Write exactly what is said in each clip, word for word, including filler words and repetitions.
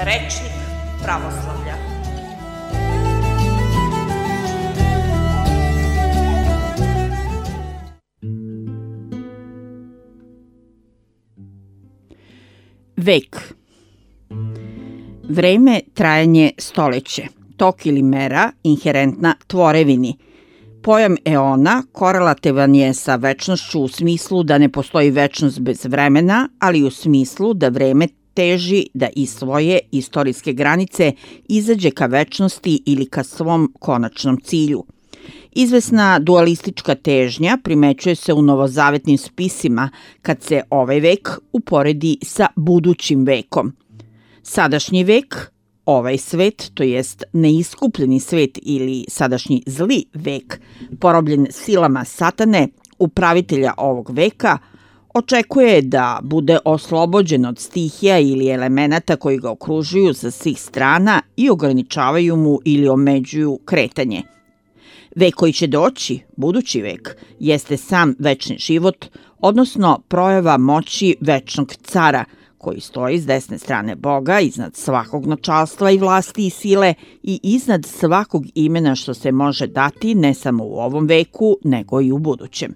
Rečnik pravoslavlja. Vek. Vreme, trajanje, stoleće, tok ili mera inherentna tvorevini. Pojam eona korelativan je sa večnošću u smislu da ne postoji večnost bez vremena, ali u smislu da vreme teži da iz svoje istorijske granice izađe ka večnosti ili ka svom konačnom cilju. Izvesna dualistička težnja primećuje se u novozavetnim spisima kad se ovaj vek uporedi sa budućim vekom. Sadašnji vek, ovaj svet, to jest neiskupljeni svet ili sadašnji zli vek, porobljen silama satane, upravitelja ovog veka, očekuje da bude oslobođen od stihija ili elemenata koji ga okružuju sa svih strana i ograničavaju mu ili omeđuju kretanje. Vek koji će doći, budući vek, jeste sam večni život, odnosno projava moći večnog cara, koji stoji s desne strane Boga, iznad svakog načalstva i vlasti i sile i iznad svakog imena što se može dati ne samo u ovom veku, nego i u budućem.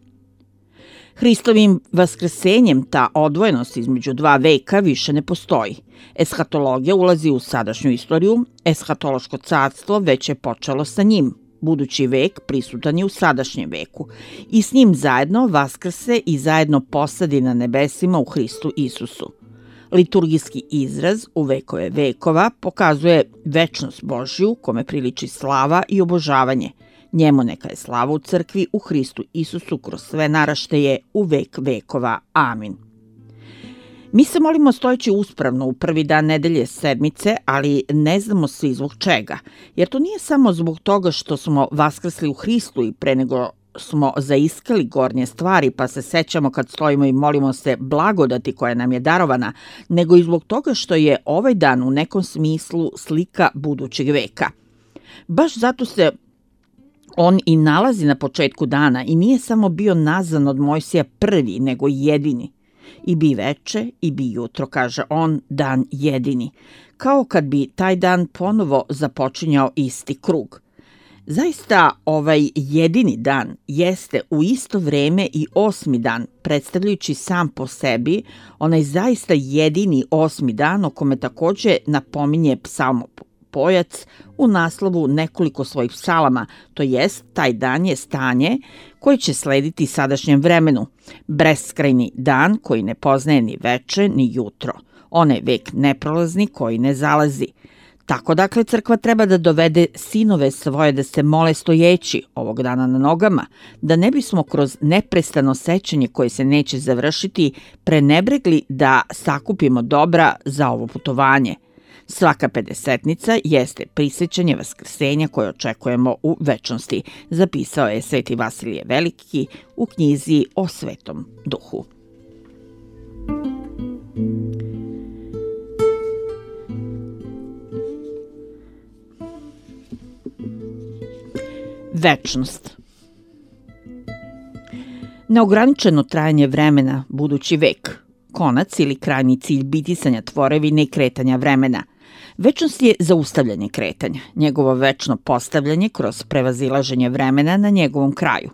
Hristovim vaskrsenjem ta odvojenost između dva veka više ne postoji. Eshatologija ulazi u sadašnju istoriju, eshatološko carstvo već je počelo sa njim. Budući vek prisutan je u sadašnjem veku i s njim zajedno vaskrse i zajedno posadi na nebesima u Hristu Isusu. Liturgijski izraz u vekove vekova pokazuje večnost Božju kome priliči slava i obožavanje. Njemu neka je slava u crkvi u Hristu Isusu kroz sve naraštaje u vek vekova. Amin. Mi se molimo stojeći uspravno u prvi dan nedelje sedmice, ali ne znamo svi zbog čega. Jer to nije samo zbog toga što smo vaskrsli u Hristu i pre nego smo zaiskali gornje stvari, pa se sećamo kad stojimo i molimo se blagodati koja nam je darovana, nego i zbog toga što je ovaj dan u nekom smislu slika budućeg veka. Baš zato se on i nalazi na početku dana i nije samo bio nazvan od Mojsija prvi, nego jedini. I bi veče, i bi jutro, kaže on, dan jedini. Kao kad bi taj dan ponovo započinjao isti krug. Zaista ovaj jedini dan jeste u isto vreme i osmi dan, predstavljajući sam po sebi onaj zaista jedini osmi dan o kome takođe napominje psalmopojac u naslovu nekoliko svojih psalama, to jest taj dan je stanje koje će slediti sadašnjem vremenu, beskrajni dan koji ne poznaje ni veče ni jutro, onaj vek neprolazni koji ne zalazi. Tako dakle crkva treba da dovede sinove svoje da se mole stojeći ovog dana na nogama, da ne bismo kroz neprestano sećanje koje se neće završiti prenebregli da sakupimo dobra za ovo putovanje. Svaka pedesetnica jeste prisećanje vaskrsenja koje očekujemo u večnosti, zapisao je Sveti Vasilije Veliki u knjizi o Svetom Duhu. Večnost. Neograničeno trajanje vremena, budući vek, konac ili krajnji cilj bitisanja tvorevine i kretanja vremena. Večnost je zaustavljanje kretanja, njegovo večno postavljanje kroz prevazilaženje vremena na njegovom kraju.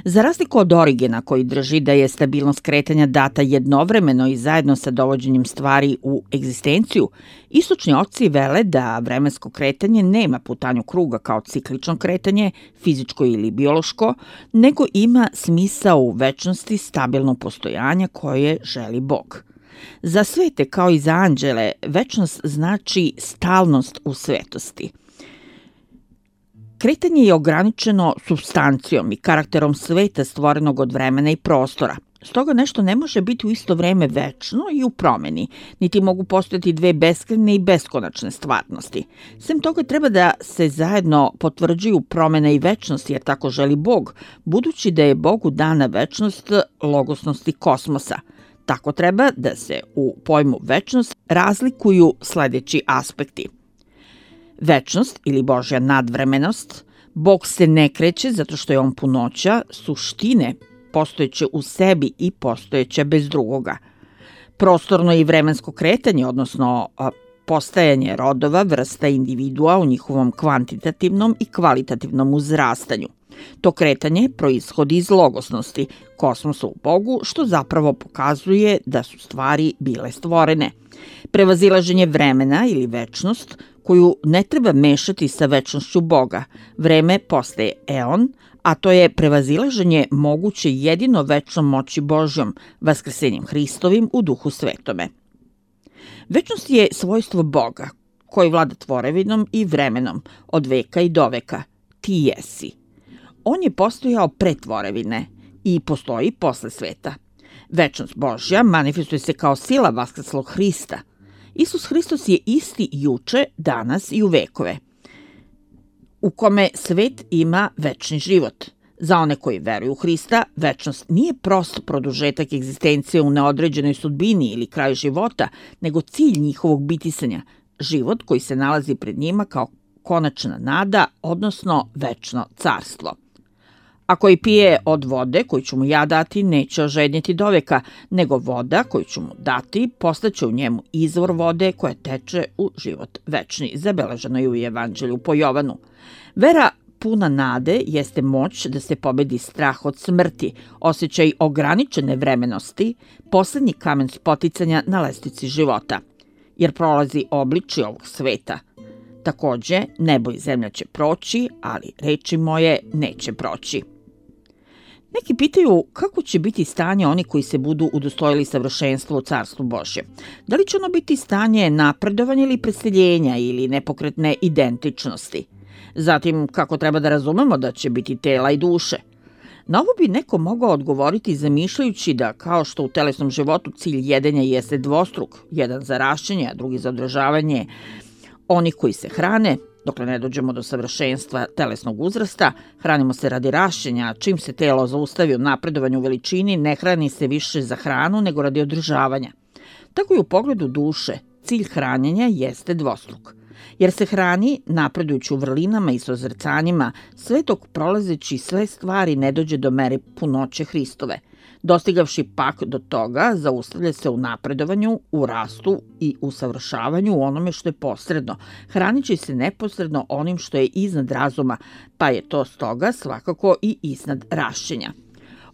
Za razliku od Origena koji drži da je stabilnost kretanja data jednovremeno i zajedno sa dovođenjem stvari u egzistenciju, istočni oci vele da vremensko kretanje nema putanju kruga kao ciklično kretanje, fizičko ili biološko, nego ima smisao u večnosti stabilnog postojanja koje želi Bog. Za svete kao i za anđele, večnost znači stalnost u svetosti. Kretanje je ograničeno supstancijom i karakterom sveta stvorenog od vremena i prostora. Stoga nešto ne može biti u isto vreme večno i u promeni, niti mogu postojati dve beskrajne i beskonačne stvarnosti. Sem toga treba da se zajedno potvrđuju promena i večnost, jer tako želi Bog, budući da je Bogu dana večnost logosnosti kosmosa. Tako treba da se u pojmu večnost razlikuju sledeći aspekti. Večnost ili Božja nadvremenost, Bog se ne kreće zato što je on punoća, suštine postojeće u sebi i postojeće bez drugoga. Prostorno i vremensko kretanje, odnosno postajanje rodova, vrsta individua u njihovom kvantitativnom i kvalitativnom uzrastanju. To kretanje proishodi iz logosnosti, kosmosa u Bogu, što zapravo pokazuje da su stvari bile stvorene. Prevazilaženje vremena ili večnost, koju ne treba mešati sa večnošću Boga. Vreme postaje eon, a to je prevazilaženje moguće jedino večnom moći Božjom, vaskrsenjem Hristovim u Duhu Svetome. Večnost je svojstvo Boga, koji vlada tvorevinom i vremenom, od veka i do veka. Ti jesi. On je postojao pre tvorevine i postoji posle sveta. Večnost Božja manifestuje se kao sila vaskrslog Hrista. Isus Hristos je isti juče, danas i u vekove, u kome svet ima večni život. Za one koji veruju u Hrista, večnost nije prost produžetak egzistencije u neodređenoj sudbini ili kraju života, nego cilj njihovog bitisanja, život koji se nalazi pred njima kao konačna nada, odnosno večno carstvo. A koji pije od vode koju ću mu ja dati, neće ožednjeti doveka, nego voda koju ću mu dati postaće u njemu izvor vode koja teče u život večni, zabeleženo je u Evanđelju po Jovanu. Vera puna nade jeste moć da se pobedi strah od smrti, osjećaj ograničene vremenosti, poslednji kamen spoticanja na lestvici života, jer prolazi obličje ovog sveta. Takođe, nebo i zemlja će proći, ali reči moje neće proći. Neki pitaju kako će biti stanje oni koji se budu udostojili savršenstva u Carstvu Božjem. Da li će ono biti stanje napredovanja ili preseljenja ili nepokretne identičnosti? Zatim, kako treba da razumemo da će biti tela i duše? Na ovo bi neko mogao odgovoriti zamišljajući da, kao što u telesnom životu cilj jedenja jeste dvostruk, jedan za rašćenje, a drugi za održavanje onih koji se hrane, dokle ne dođemo do savršenstva telesnog uzrasta, hranimo se radi rašćenja, a čim se telo zaustavi u napredovanju u veličini, ne hrani se više za hranu nego radi održavanja. Tako i u pogledu duše, cilj hranjenja jeste dvostruk, jer se hrani napredujući u vrlinama i sozrcanjima, sve dok prolazeći sve stvari ne dođe do mere punoće Hristove. Dostigavši pak do toga, zaustavlja se u napredovanju, u rastu i usavršavanju u onome što je posredno, hranići se neposredno onim što je iznad razuma, pa je to stoga svakako i iznad rašćenja.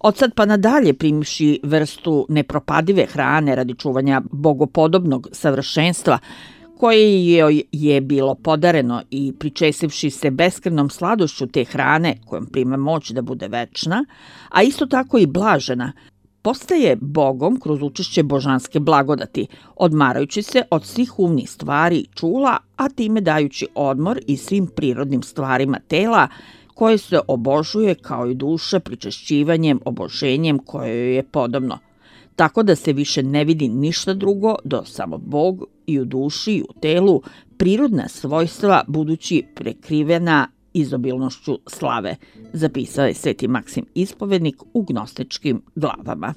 Od sad pa nadalje, primivši vrstu nepropadive hrane radi čuvanja bogopodobnog savršenstva, koje joj je bilo podareno i pričesivši se beskrajnom sladošću te hrane kojom prima moć da bude večna, a isto tako i blažena, postaje Bogom kroz učešće božanske blagodati, odmarajući se od svih umnih stvari i čula, a time dajući odmor i svim prirodnim stvarima tela, koje se obožuje kao i duša pričešćivanjem, oboženjem koje joj je podobno. Tako da se više ne vidi ništa drugo do samo Bog i u duši i u telu, prirodna svojstva budući prekrivena izobilnošću slave, zapisao je Sveti Maksim Ispovednik u gnostičkim glavama.